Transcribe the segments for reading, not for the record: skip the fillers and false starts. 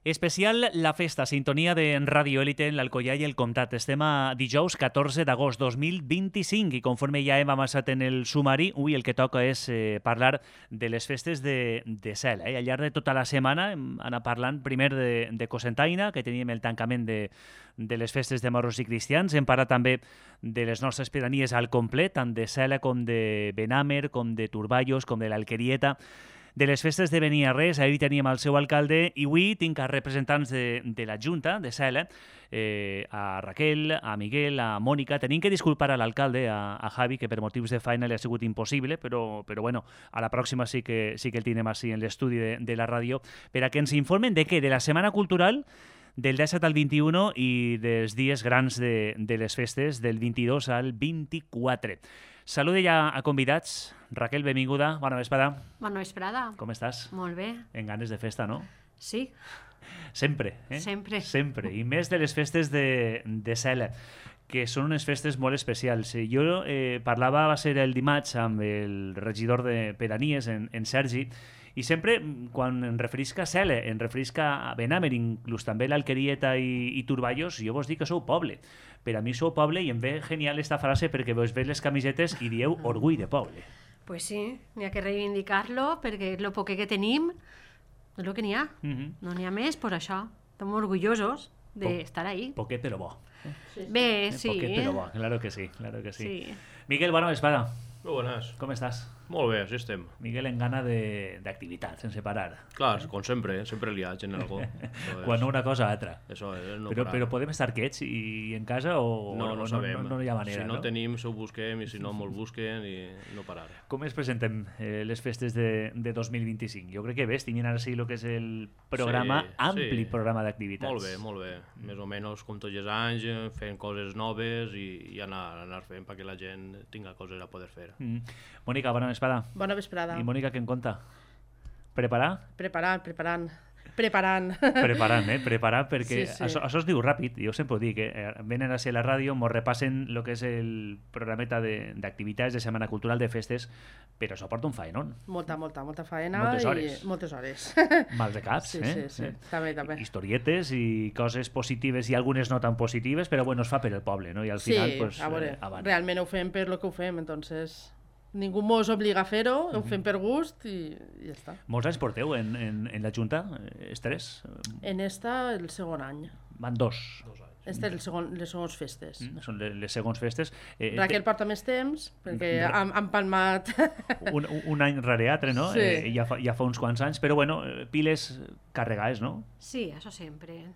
Especial La Festa, sintonia de Ràdio Élite en l'Alcoià i el Comtat. Estem a dijous 14 d'agost 2025 i conforme ja hem avançat en el sumari, avui el que toca és parlar de les festes de Cel. Al llarg de tota la setmana hem anat parlant primer de Cocentaina, que teníem el tancament de les festes de moros i cristians. Hem parlat també de les nostres pedanies al complet, tant de Cela com de Benàmer, com de Turballos, com de l'Alquerieta, de les festes de Beniarrés. Ahir teníem el seu alcalde i avui tinc a representants de la Junta de Cela, a Raquel, a Miguel, a Mònica. Tenim que disculpar a l'alcalde, a Javi, que per motius de feina li ha sigut impossible, però bueno, a la pròxima sí que el tenim així en l'estudi de la ràdio, per a que ens informen de què? De la Setmana Cultural del 17 al 21 i dels dies grans de les festes del 22 al 24. Saluda ja a convidats. Raquel, benvinguda. Bona vesprada. Bona vesprada. Com estàs? Molt bé. En ganes de festa, no? Sí. Sempre, eh? Sempre. Sempre. I més de les festes de Cela, que són unes festes molt especials. Jo parlava, va ser el dimarts, amb el regidor de Pedanies, en Sergi, i sempre, quan em referisc a Cela, em referisc a Benàmer, inclús també l'Alquerieta i Turballos, jo vos dic que sou poble. Per a mi sou poble i em ve genial esta frase perquè vos veus les camisetes i dieu orgull de poble. Pues sí, n'hi ha que reivindicar-lo perquè el poc que tenim és el que n'hi ha. No n'hi ha més, per això. Estem orgullosos d'estar ahí. Poquet però bo. Bé, sí. Poquet però bo, claro que sí, claro que sí. Sí. Miguel, bona vesprada. Molt bones. Com estàs? Molt bé, així estem. Miguel en gana d'activitat, sense parar. Clar, com sempre, sempre liats en algo. Quan una cosa altra. Això és no però, parar. però podem estar quiets i en casa o No sabem. No hi ha manera, si no tenim, se ho busquem, i si no, me'l busquen i no parar. Com es presenten les festes de 2025? Jo crec que bé, tinguin ara sí el que és el programa, ampli programa d'activitats. Molt bé. Més o menys com tots els anys, fent coses noves i anar fent perquè la gent tinga coses a poder fer. Mònica, bona vesprada. Bona vesprada. I Mònica, què en conta? Preparar, Preparant, perquè Sí. això es diu ràpid. Jo sempre ho dic, venen a ser a la ràdio, mos repassen el que és el programeta d'activitats de Setmana Cultural de festes, però això porta un faenón. Molta faena. Moltes hores. I moltes hores. Mals de caps, Sí. També. Historietes i coses positives i algunes no tan positives, però bueno, es fa per el poble, no? I al final, pues, a veure, avant. realment ho fem per lo que ho fem, entonces ningú mos obliga a fer-ho, ho fem per gust i ja està. Molts anys porteu en la Junta? Tres? En esta, el segon any. Van dos. Este les segones festes. Són les segons festes. Raquel porta més temps, perquè han palmat... Un any rere altre, no? Sí. Ja fa uns quants anys, però bueno, piles carregades, no? Sí, això sempre.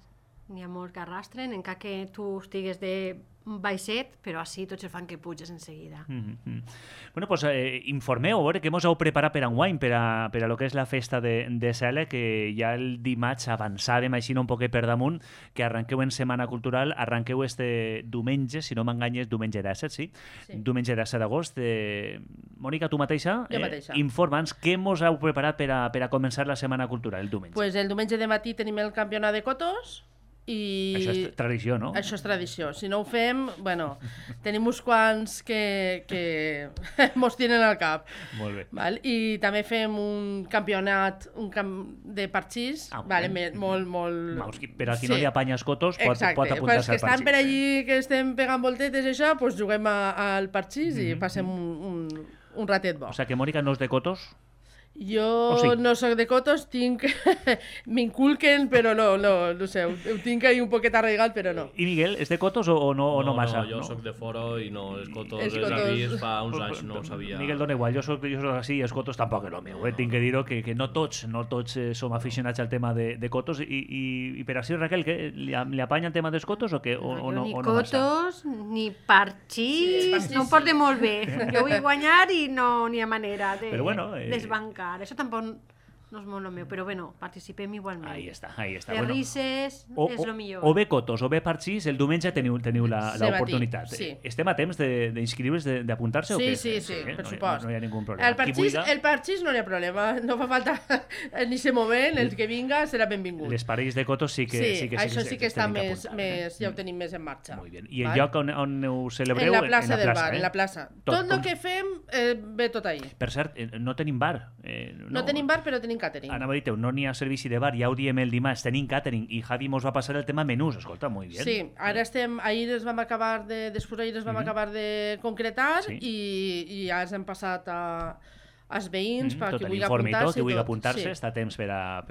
N'hi ha molts que arrastren, encara que tu estigues de baixet, però així tots el fan que puges en seguida. Bueno, pues informeu, a veure què mos heu preparat per enguany, per a lo que és la festa de Cela, que ja el dimarts avançàvem així un poquet per damunt, que arranqueu en Setmana Cultural, arranqueu este diumenge, si no m'enganyes, diumenge 17, sí? Diumenge 17 d'agost. Mònica, tu mateixa? Jo mateixa. Informa'ns què mos heu preparat per a començar la Setmana Cultural el diumenge. Pues el diumenge de matí tenim el campionat de cotos, i... Això és tradició, no? Això és tradició. Si no ho fem, bueno, tenim uns quants que mos tiren al cap. Molt bé. Val? I també fem un campionat de parxís, vale? molt... Per a qui no li apanya els cotos, pot apuntar-se al parxís. Exacte, que estan per allí, que estem pegant voltetes i això, doncs juguem al parxís i passem un ratet bo. O sigui que Mònica no és de cotos? Jo no soc de cotos, m'inculquen, però no sé, ho tinc ahí un poquet arraigat, però no. I Miguel, és de cotos o no massa? No, jo soc de fora i no, els cotos els avis fa uns anys no ho sabia. Miguel dona igual, jo soc així i els cotos tampoc és el meu. Tinc que dir-ho que no tots som aficionats al tema de cotos i per així, Raquel, li apanya el tema dels cotos o no Ni massa? cotos, ni parxís, no em porta molt bé. Jo vull guanyar i no n'hi ha manera de desbancar. Això tampoc no és molt el meu, però bueno, participem igualment. Ahí està. Les risses és el millor. O bé cotos o bé parxís, el diumenge teniu l'oportunitat. Sí. Estem a temps d'inscriure's, d'apuntar-se o què? Sí, per supost. No hi ha ningú problema. El parxís no hi ha problema, no fa falta en aquest moment, el que vinga serà benvingut. Les parells de cotos sí que això sí que està més, ja ho tenim més en marxa. Molt bé. I el lloc on ho celebreu? En la plaça del bar, en la plaça. Tot el que fem ve tot ahí. Per cert, no tenim bar. No tenim bar, però tenim catering. Anava a dir-te, no n'hi ha servici de bar, ja ho diem el dimarts, tenim catering, i Javi mos va passar el tema menús, escolta, molt bé. Sí, ara ahir es vam acabar de concretar i ja ens hem passat als veïns perquè vulgui apuntar-se. Qui vulgui apuntar-se està a temps per a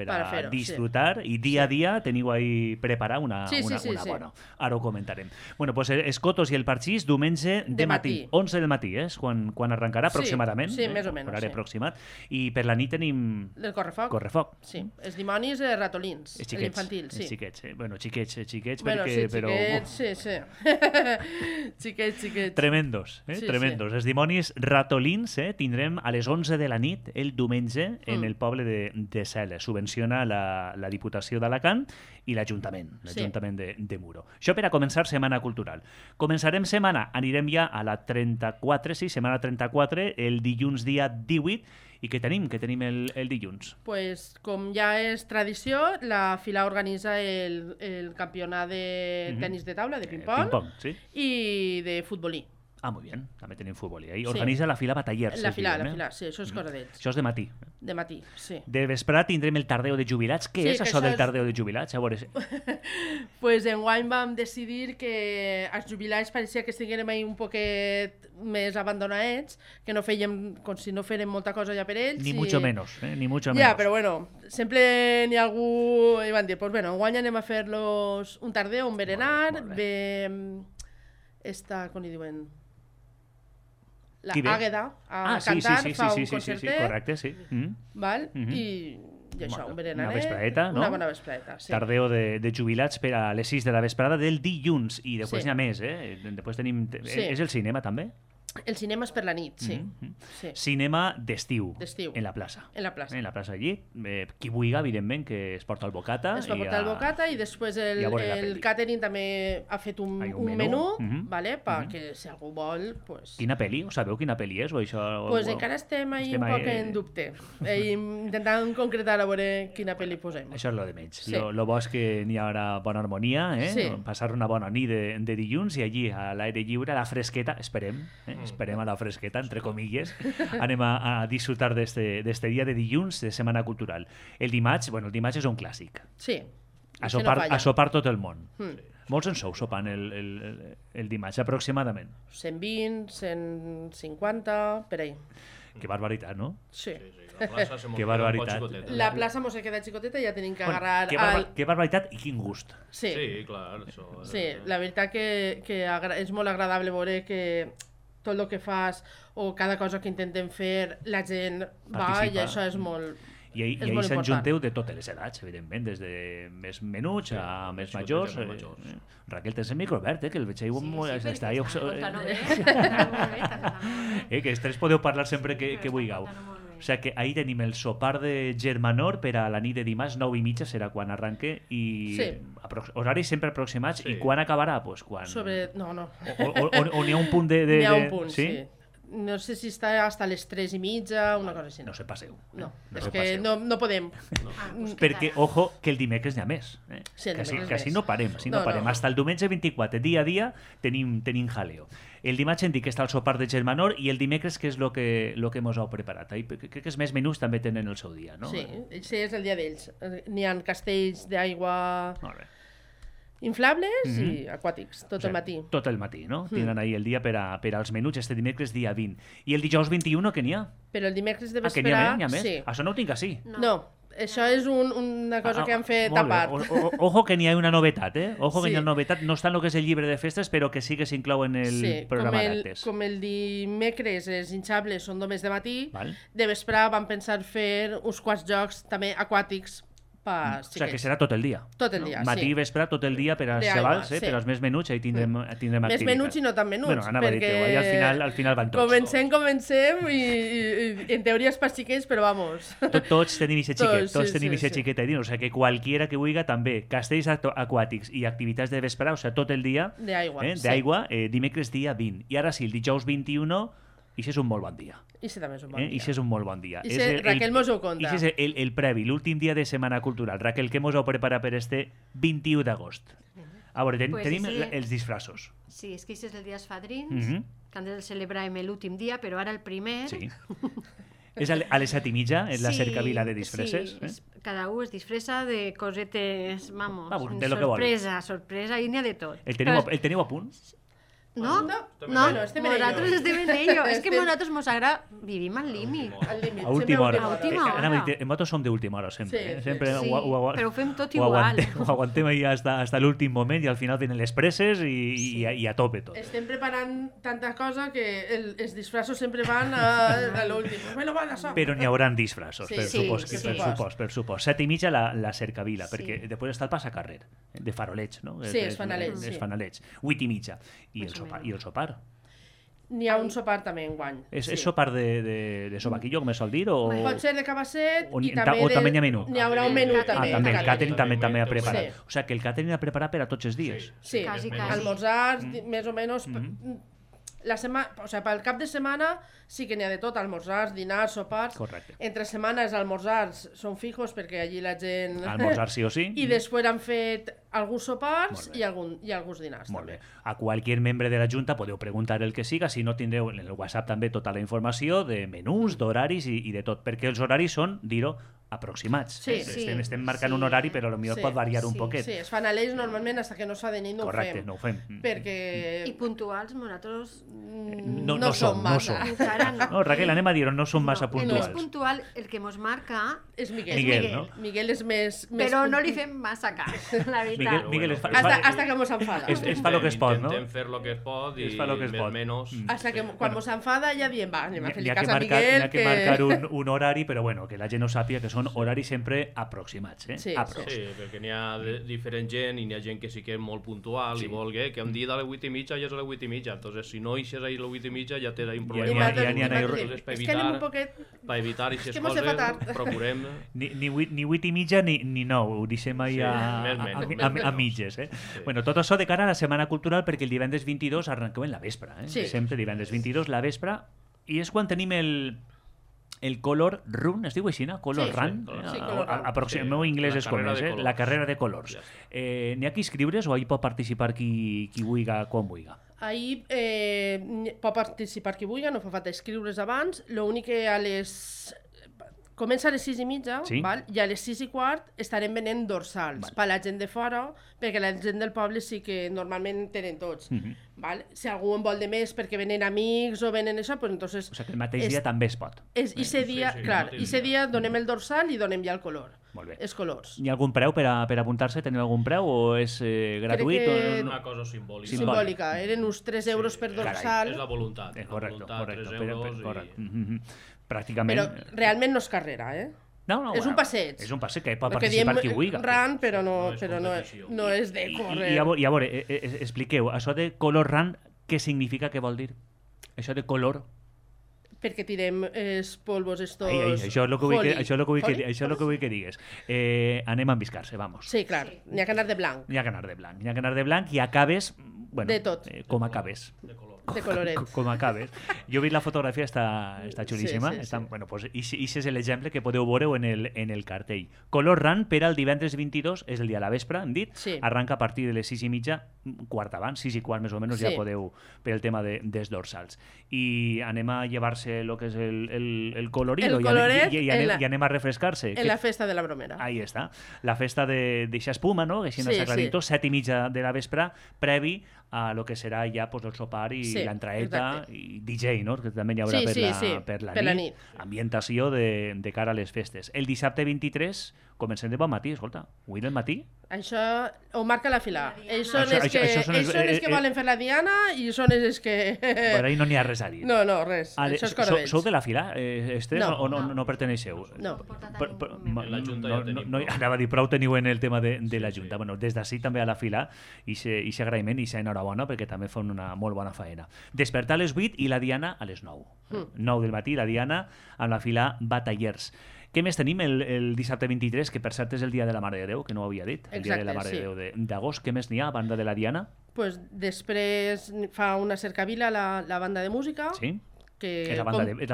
disfrutar i dia a dia teniu ahí preparar una bona. Ara ho comentarem. Bueno, pues Escotos i el Parxís diumenge de matí, 11 del matí, és quan arrencarà aproximadament. Sí, més o menys. Horari aproximat. I per la nit tenim... El correfoc. Correfoc. Sí, els dimonis ratolins, l'infantil. Els xiquets, bueno, xiquets, bueno, perquè... Sí. Xiquets. Tremendos, tremendos. Els dimonis ratolins tindrem a les 11 de la nit el diumenge en el poble de Cela. Subvenciona la Diputació d'Alacant i l'Ajuntament de Muro. Això per a començar Setmana Cultural. Començarem setmana, anirem ja a la 34, setmana 34, el dilluns dia 18. I què tenim? Què tenim el dilluns? Pues, com ja és tradició, la Fila organitza el campionat de tenis de taula, de ping-pong, i de futbolí. Ah, muy bien. També tenim futbol. I organitza la Fila Batallers. La fila, sí, això és cosa d'ells. Això és de matí. De matí, sí. De vesprada tindrem el tardeo de jubilats. Què és això del tardeo de jubilats? A veure... Pues enguany vam decidir que els jubilats pareixia que estiguérem ahí un poquet més abandonats, que no fèiem, com si no fèrem molta cosa ja per ells. Ni mucho menos, ni mucho menos. Ja, però bueno, sempre n'hi ha algú... I van dir, pues bueno, enguany anem a fer-los un tardeo, un berenar, ve... com li diuen... La Àgueda a cantar, fa un concertet. Sí, correcte, sí. Val? I això, un berenaret. Una vespradeta, no? Una bona vespradeta, sí. Tardeo de jubilats per a les 6 de la vesprada del dilluns. I després n'hi ha més, Després tenim... És el cinema, també? El cinema és per la nit, sí. Cinema d'estiu. En la plaça. En la plaça. En la plaça allí. Qui vulgui, evidentment, que es porta el bocata. Es pot portar el bocata i després el catering també ha fet un menú, perquè si algú vol... Quina pel·li? Sabeu quina pel·li és? Doncs encara estem un poc en dubte. Intentant concretar a veure quina pel·li posem. Això és lo de menys. Lo bo és que n'hi haurà bona harmonia, passar una bona nit de dilluns i allí, a l'aire lliure, a la fresqueta, esperem a la fresqueta, entre comilles, anem a disfrutar d'este dia de dilluns de Setmana Cultural. El dimarts és un clàssic. Sí. A sopar tot el món. Molts en sou sopant el dimarts, aproximadament. 120, 150, per ahí. Que barbaritat, no? Sí. Que barbaritat. La plaça mos ha quedat xicoteta i ja tenim que agarrar... Que barbaritat i quin gust. Sí, clar. Sí, la veritat que és molt agradable veure que tot el que fas o cada cosa que intentem fer, la gent va i això és molt... I ahir s'enjunteu de totes les edats, evidentment, des de més menuts a més majors. Raquel, tens el micro obert, que el veig ahí... Que els tres podeu parlar sempre que vulgueu. O sigui que ahir tenim el sopar de germanor per a la nit de dimarts, 9:30 serà quan arranque i horaris sempre aproximats. I quan acabarà? Pues quan... No. O n'hi ha un punt de... N'hi ha un punt, sí. No sé si està hasta les 3:30, una cosa així. No se passeu. No, és que no podem. Perquè, ojo, que el dimecres n'hi ha més. Que així no parem. Hasta el diumenge 24, dia a dia, tenim jaleo. El dimarts hem dit que està el sopar de germanor i el dimecres que és el que mos heu preparat. Crec que els més menús també tenen el seu dia, no? Sí, és el dia d'ells. N'hi ha castells d'aigua... inflables i aquàtics, tot el matí. Tot el matí, no? Tenen ahir el dia per als menuts, este dimecres dia 20. I el dijous 21, que n'hi ha? Però el dimecres de vesprà... Que n'hi ha més? Sí. Això no ho tinc així. No, això és una cosa que han fet a part. Ojo que n'hi ha una novetat, Ojo que n'hi ha una novetat. No està en el que és el llibre de festes, però que sí que s'inclou en el programa d'actes. Com el dimecres els hinchables són només de matí, de vesprà van pensar fer uns quants jocs també aquàtics. O sigui que serà tot el dia. Tot el dia, matí i vespre, tot el dia per als xavals, per als més menuts, ahí tindrem activitat. Més menuts i no tan menuts. Bueno, anava a dir-te, al final van tots. Comencem i en teoria és per xiquets, però vamos. Tots tenim ixe xiquet, tots tenim ixe xiquet ahí, o sigui que qualquiera que vulgui també, castells aquàtics i activitats de vespre, o sigui, tot el dia d'aigua, dimecres dia 20. I ara sí, el dijous 21, Ixe és un molt bon dia. Ixe també és un bon dia. Ixe és un molt bon dia. Raquel mos ho conta. Ixe és el previ, l'últim dia de Setmana Cultural. Raquel, què mos heu preparat per este 21 d'agost? A veure, tenim els disfraços. Sí, és que ixe és el dia dels fadrins, que han de celebrar l'últim dia, però ara el primer... Sí. És a les 7:30, és la cercavila de disfresses. Sí, cada un es disfressa de cosetes, vamos, de lo que vol. Sorpresa, i n'hi ha de tot. El teniu a punt? No, nosaltres estem en ello. És que nosaltres mos agrada, vivim al límit. A última hora. A última hora. Nosaltres som d'última hora, sempre. Sempre però ho fem tot igual. Ho aguantem ahí hasta l'últim moment i al final venen les presses i a tope tot. Estem preparant tanta cosa que els disfraços sempre van a l'últim. Però n'hi haurà disfraços, per supost. 7:30 la cercavila, perquè després està el passacarrer, de faroleig, no? Sí, els fanalets. Els fanalets. 8:30. I el sopar. N'hi ha un sopar també enguany. És sopar de sobaquillo, com es sol dir? Pot ser de cabasset i també n'hi ha menú. N'hi haurà un menú també. També, el càtering també ha preparat. O sigui, que el càtering ha preparat per a tots els dies. Sí, almorzars, més o menys... pel cap de setmana sí que n'hi ha de tot, almorzars, dinars, sopars. Correcte. Entre setmana els almorzars són fijos perquè allí la gent... Almorzar sí o sí. I després han fet alguns sopars i alguns dinars. Molt bé. A qualsevol membre de la Junta podeu preguntar el que siga, si no tindreu en el WhatsApp també tota la informació de menús, d'horaris i de tot, perquè els horaris són, dir-ho, aproximats. Estem marcant un horari, però potser pot variar un poquet. Sí, es fan a l'eix normalment fins que no es fa de nit no ho fem. Correcte, no ho fem. Perquè... I puntuals nosaltres no som massa. No, Raquel, anem a dir-ho, no som massa puntuals. El més puntual, el que mos marca... És Miguel. No? Miguel és més... Però no li fem massa cas, la veritat. Miguel hasta que mos enfada. Es fa lo que es pot, no? Intentem fer lo que es pot i més o menys... Hasta que quan mos enfada ja diem, va, anem a fer-li cas a Miguel. N'hi ha que marcar un horari, però bueno, que la gent no sàpiga que són horaris sempre aproximats. Sí, perquè n'hi ha diferent gent i n'hi ha gent que sí que és molt puntual i vol que un dia a les 8:30 ja és a les 8:30. Entonces, si no eixes ahir a les 8:30 ja tens un problema. És que anem un poquet... Per evitar aquestes coses, procurem... Ni 8:30 ni 9, ho deixem ahir a mitges. Bueno, tot això de cara a la Setmana Cultural, perquè el divendres 22 arrenquem en la vespre. Sempre divendres 22, la vespre, i és quan tenim el color run, es diu així, no? Color run? El meu anglès és com és, la carrera de colors. N'hi ha que inscriure's o ahir pot participar qui vulgui, quan vulgui? Ahir pot participar qui vulgui, no fa falta inscriure's abans, l'únic que comença a les 6:30, val? I a les 6:15 estarem venent dorsals per la gent de fora, perquè la gent del poble sí que normalment tenen tots. Val? Si algú en vol de més perquè venen amics o venen això, doncs entonces... O sigui que el mateix dia també es pot. Ese dia donem el dorsal i donem ja el color. Molt bé. Els colors. Hi ha algun preu per apuntar-se? Teniu algun preu o és gratuït? Crec que... Una cosa simbòlica. Simbòlica. Eren uns 3 euros per dorsal. És la voluntat. Correcte. 3 euros pràcticament... Però realment no és carrera, No, és un passeig. És un passeig que pot participar qui vulgui. Run, però no és de córrer. I a veure, expliqueu, això de color run, què significa, què vol dir? Això de color... Perquè tirem els polvos estos... Això és el que vull que digues. Anem a embiscar-se, vamos. Sí, clar, n'hi ha que anar de blanc. N'hi ha que anar de blanc i acabes... Bueno, de tot. Com acabes. De coloret. Com acabes. Jo he vist la fotografia, està xulíssima. Sí. Bueno, pues, i és l'exemple que podeu veure en el cartell. Color run per al divendres 22, és el dia a la vespre, hem dit. Sí. Arranca a partir de les 6:30, quart abans, 6:15 més o menys, ja podeu, per el tema dels dorsals. I anem a llevar-se el que és el colorido i anem a refrescar-se. En la festa de la Bromera. Ahí està. La festa d'eixa espuma, no? Que així no s'ha aclarit tot, 7:30 de la vespre, previ a lo que serà ja el sopar i l'entraeta i DJ, no? Que també hi haurà per la nit. Ambientació de cara a les festes. El dissabte 23 comencem de bon matí, escolta. Avui del matí? Això ho marca la fila. Ells són els que volen fer la diana i són els que... Per ahí no n'hi ha res a dir. No, res. Això és Corbells. Sou de la fila, Esther, o no perteneixeu? No. La Junta ja tenim. Anava a dir, prou teniu en el tema de la Junta. Bueno, des d'ací també a la fila i agraïment i enhorabona perquè també fan una molt bona faena. Despertar a les 8 i la diana a les 9. 9 del matí, la diana amb la fila Batallers. Què més tenim el dissabte 23, que per cert és el dia de la Mare de Déu, que no ho havia dit, el dia de la Mare de Déu d'agost. Què més n'hi ha a banda de la diana? Pues després fa una cercavila la banda de música. Sí? És la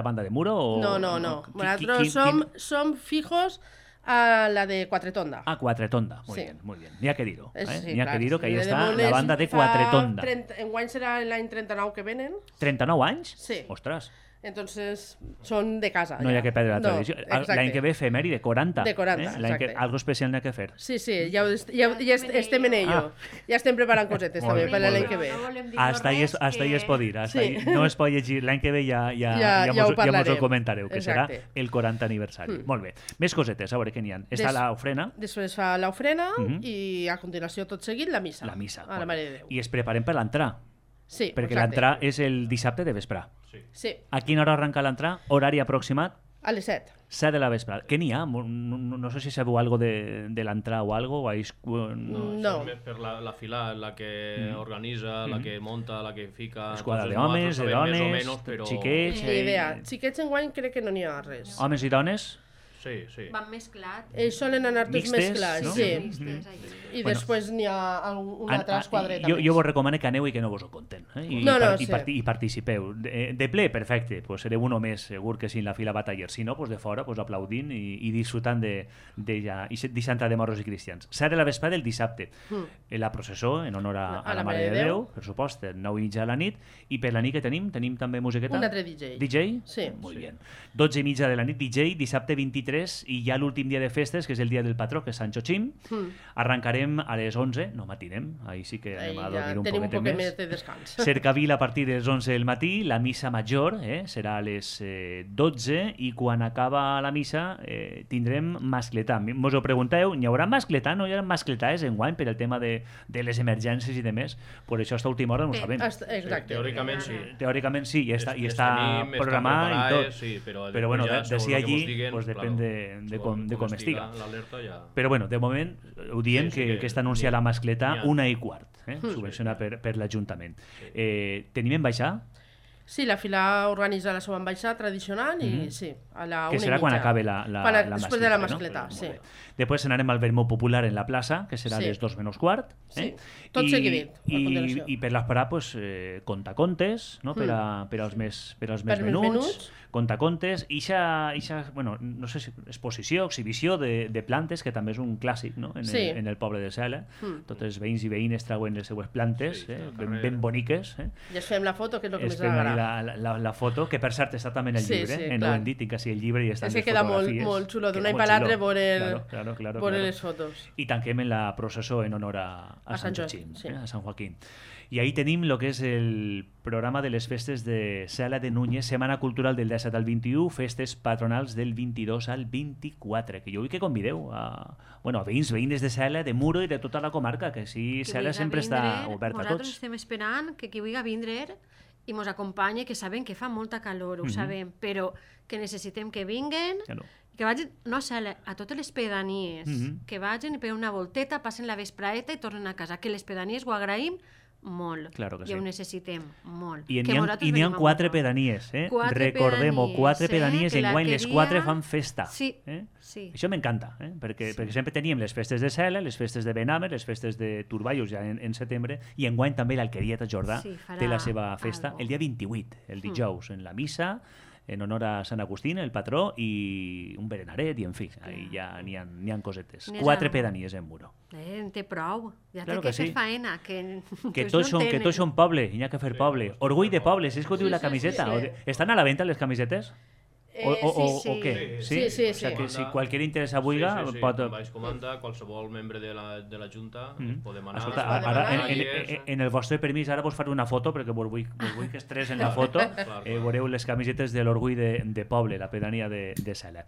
banda de Muro? No. Nosaltres som fijos a la de Quatretonda. Quatretonda, muy bien. N'hi ha que dir-ho. N'hi ha que dir-ho, que ahí està la banda de Quatretonda. Enguany serà l'any 39 que venen. 39 anys? Sí. Ostres. Entonces, són de casa. No hi ha que perdre la tradició. L'any que ve efemèride, 40. De 40, exacte. Algo especial n'hi ha que fer. Sí, ja estem en ello. Ja estem preparant cosetes també per l'any que ve. Hasta ahí es pot dir. No es pot llegir. L'any que ve ja mos ho comentareu, que serà el 40 aniversari. Molt bé. Més cosetes, a veure què n'hi ha. Està l'ofrena. Després fa l'ofrena i a continuació tot seguit la missa. La missa. A la Mare de Déu. I es preparem per l'entrar. Sí, perquè l'entrar és el dissabte de vespre. Sí. A quina hora arrenca l'entrar? Horari aproximat? A les 7. 7 de la vespre. Què n'hi ha? No sé si sabeu algo de l'entrar o algo. No. Per la fila, la que organitza, la que monta, la que fica... Esquadra d'homes, de dones, xiquets... Ni idea. Xiquets enguany crec que no n'hi ha res. Homes i dones? Sí. Van mesclats. Ells solen anar tots mesclats, sí. I després n'hi ha una altra esquadreta. Jo vos recomano que aneu i que no vos ho conten. I participeu. De ple, perfecte. Pues sereu uno més, segur que sí, en la fila bataller. Si no, pues de fora, pues aplaudint i disfrutant d'Eixantra de morros i cristians. 7 de la vespre del dissabte. La processó en honor a la Mare de Déu, per supost, 9:30 de la nit. I per la nit que tenim també musiqueta? Un altre DJ. DJ? Sí. Molt bé. 12:30 de la nit, DJ, dissabte 23, i ja l'últim dia de festes, que és el dia del patró, que és Sant Xochim. Arrencarem a les 11, no matinem, ahí sí que anem a dormir un poquet més de descans. Cercavila a partir de les 11 del matí, la missa major serà a les 12, i quan acaba la missa tindrem mascletà. Mos ho pregunteu, n'hi haurà mascletà? No hi haurà mascletàs enguany per el tema de les emergències i de més? Per això a última hora no ho sabem. Exacte. Teòricament sí, i està programat i tot. Però bueno, de si allí depèn de com estiga. Però bueno, de moment ho diem que està anunciada la mascletà 1:15, subvencionada per l'Ajuntament. Tenim ambaixada? Sí, la fila organitza la seva ambaixada tradicional i sí, a la 1:30. Que serà quan acabe la mascletà. Després de la mascletà, sí. Després anarem al vermut popular en la plaça, que serà a les 2:15. Sí, tot seguidit. I per l'esperar, contacontes, per als més menuts, contacontes, i bueno, no sé si exposició, exhibició de plantes, que també és un clàssic en el poble de Cela. Tots els veïns i veïnes trauen les seues plantes, ben boniques. I ens fem la foto, que és el que més agrada. La foto, que per cert està també en el llibre, no ho hem dit, tinc quasi el llibre i estan les fotografies. És que queda molt xulo, d'un any per l'altre veure les fotos. I tanquem en la processó en honor a Sant Joaquim, a Sant Joaquim. I ahí tenim el que és el programa de les festes de Cela de Núñez, Setmana Cultural del 17 al 21, festes patronals del 22 al 24, que jo vull que convideu a veïns de Cela, de Muro i de tota la comarca, que sí, Cela sempre està oberta a tots. Nosaltres estem esperant que qui vulgui vindre i mos acompanye, que sabem que fa molta calor, ho sabem, però que necessitem que vinguen, que vagin, no a Cela, a totes les pedanies, que vagin per una volteta, passen la vespraeta i tornen a casa, que les pedanies ho agraïm molt, i ho necessitem molt. I n'hi ha 4 pedanies, recordem-ho, 4 pedanies, enguany les 4 fan festa. Sí. Això m'encanta, perquè sempre teníem les festes de Cela, les festes de Benamer, les festes de Turballos ja en setembre, i enguany també l'Alqueria de Jordà té la seva festa el dia 28, el dijous, en la missa, en honor a Sant Agustín, el patró, i un berenaret, i en fi, ja n'hi ha cosetes. 4 pedanies en Muro. En té prou, ja té que fer faena. Que tots són poble, i n'hi ha que fer poble. Orgull de poble, és que ho diu la camiseta. Estan a la venda les camisetes? O què? Sí? O sigui que si qualsevol interessa vulga... pot... Baix comanda, qualsevol membre de la Junta podem anar... Escolta, ara, en el vostre permís, ara vos faré una foto, perquè vos vull que estres en la foto. Veureu les camisetes de l'orgull de poble, la pedania de Cela.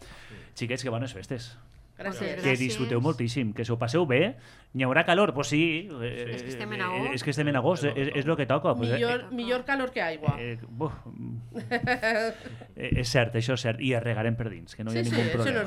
Xiquets, que bones festes. Gràcies. Que disfruteu moltíssim, que s'ho passeu bé. N'hi haurà calor? Doncs sí. És que estem en agost. És que estem en agost, és el que toca. Millor calor que aigua. És cert, això és cert. I es regarem per dins, que no hi ha ningú problema.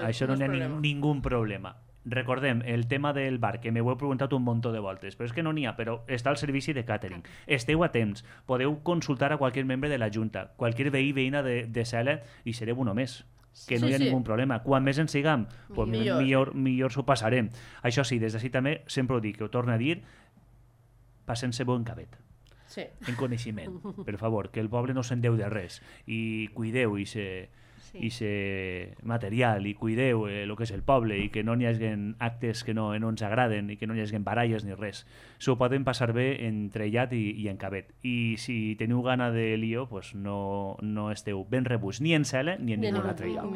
Això no hi ha ningú problema. Recordem, el tema del bar, que m'ho heu preguntat un munt de voltes, però és que no n'hi ha, però està al servici de càtering. Esteu a temps, podeu consultar a qualsevol membre de la Junta, qualsevol veí veïna de Cela, i sereu un més. Que no hi ha ningú problema. Quan més en siguem, millor s'ho passarem. Això sí, des d'ací també sempre ho dic, que ho torno a dir, passem-se bon cabet. Sí. En coneixement, per favor, que el poble no se'n deu de res. I cuideu ixe material i cuideu el que és el poble i que no n'hi hagin actes que no ens agraden i que no n'hi hagin baralles ni res. S'ho poden passar bé entre llat i en cabet. I si teniu gana de lío, pues no esteu ben rebuts ni en Cela ni en ningú altre lloc.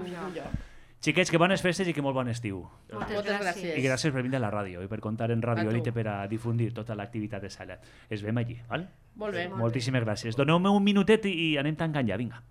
Xiquets, que bones festes i que molt bon estiu. Moltes gràcies. I gràcies per venir a la ràdio i per contar en Radio Elite per a difundir tota l'activitat de Cela. Es veiem allí, val? Molt bé. Moltíssimes gràcies. Doneu-me un minutet i anem tancant ja, vinga.